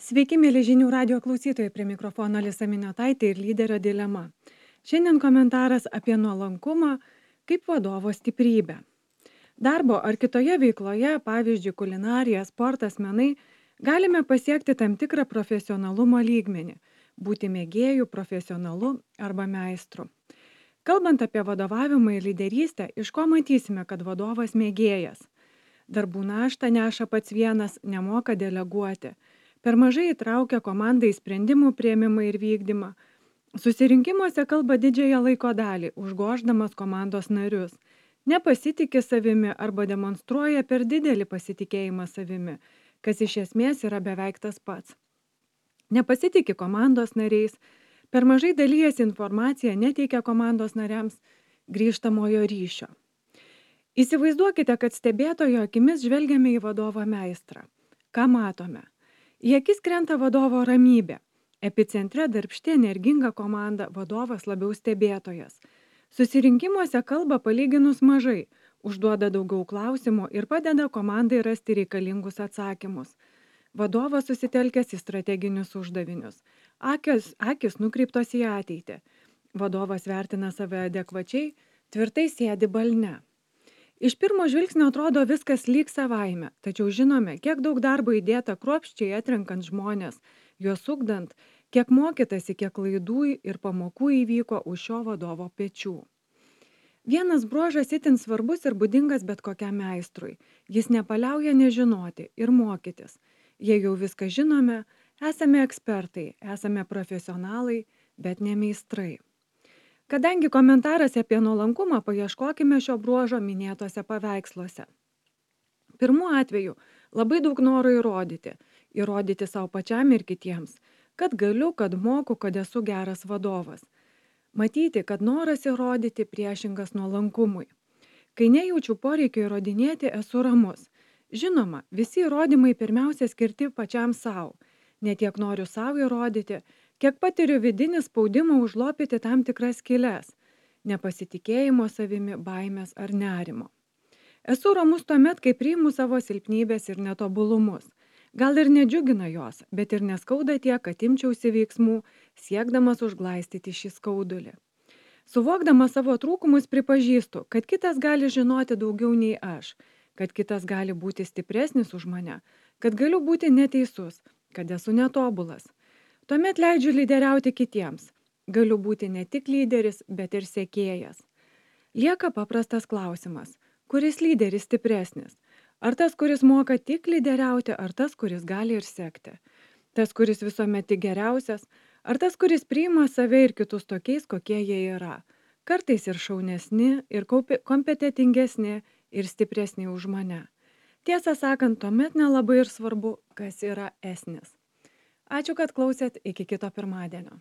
Sveiki, mėly žinių radio klausytojai, prie mikrofono Alisa Miniotaitė ir lyderio dilema. Šiandien komentaras apie nuolankumą kaip vadovo stiprybę. Darbo ar kitoje veikloje, pavyzdžiui, kulinarija, sportas, menai, galime pasiekti tam tikrą profesionalumo lygmenį, būti mėgėjų, profesionalu arba meistru. Kalbant apie vadovavimą ir lyderystę, iš ko matysime, kad vadovas mėgėjas. Darbų naštą neša pats vienas, nemoka deleguoti. Per mažai įtraukia komandą į sprendimų priėmimą ir vykdymą. Susirinkimuose kalba didžiąją laiko dalį, užgoždamas komandos narius. Nepasitikė savimi arba demonstruoja per didelį pasitikėjimą savimi, kas iš esmės yra beveik tas pats. Nepasitikė komandos nariais, per mažai dalyjasi informaciją, neteikia komandos nariams grįžtamojo ryšio. Įsivaizduokite, kad stebėtojo akimis žvelgiame į vadovą meistrą. Ką matome? Į akis krenta vadovo ramybė. Epicentre darbšti energinga komanda, vadovas labiau stebėtojas. Susirinkimuose kalba palyginus mažai, užduoda daugiau klausimų ir padeda komandai rasti reikalingus atsakymus. Vadovas susitelkęs į strateginius uždavinius. Akis nukreiptos į ateitį. Vadovas vertina save adekvačiai, tvirtai sėdi balne. Iš pirmo žvilgsnio atrodo viskas lyg savaime, tačiau žinome, kiek daug darbo įdėta kruopščiai atrenkant žmonės, juos ugdant, kiek mokytasi, kiek klaidų ir pamokų įvyko už šio vadovo pečių. Vienas bruožas itin svarbus ir būdingas bet kokiam meistrui. Jis nepaliauja nežinoti ir mokytis. Jei jau viską žinome, esame ekspertai, esame profesionalai, bet ne meistrai. Kadangi komentaras apie nuolankumą, paieškokime šio bruožo minėtose paveiksluose. Pirmu atveju labai daug noro įrodyti savo pačiam ir kitiems, kad galiu, kad moku, kad esu geras vadovas. Matyti, kad noras įrodyti priešingas nuolankumui. Kai nejaučiu poreikio įrodinėti, esu ramus. Žinoma, visi įrodymai pirmiausia skirti pačiam savo. Ne tiek noriu savo įrodyti, kiek patiriu vidinį spaudimą užlopyti tam tikras skyles, nepasitikėjimo savimi, baimės ar nerimo. Esu ramus tuomet, kai priimu savo silpnybės ir netobulumus. Gal ir nedžiugina jos, bet ir neskauda tiek, kad imčiausi veiksmų, siekdamas užglaistyti šį skaudulį. Suvokdamas savo trūkumus pripažįstu, kad kitas gali žinoti daugiau nei aš, kad kitas gali būti stipresnis už mane, kad galiu būti neteisus, kad esu netobulas. Tuomet leidžiu lyderiauti kitiems. Galiu būti ne tik lyderis, bet ir sekėjas. Lieka paprastas klausimas. Kuris lyderis stipresnis? Ar tas, kuris moka tik lyderiauti, ar tas, kuris gali ir sekti? Tas, kuris visuomet tik geriausias, ar tas, kuris priima save ir kitus tokiais, kokie jie yra? Kartais ir šaunesni, ir kompetentingesni, ir stipresni už mane. Tiesą sakant, tuomet nelabai ir svarbu, kas yra esnis. Ačiū, kad klausėt, iki kito pirmadienio.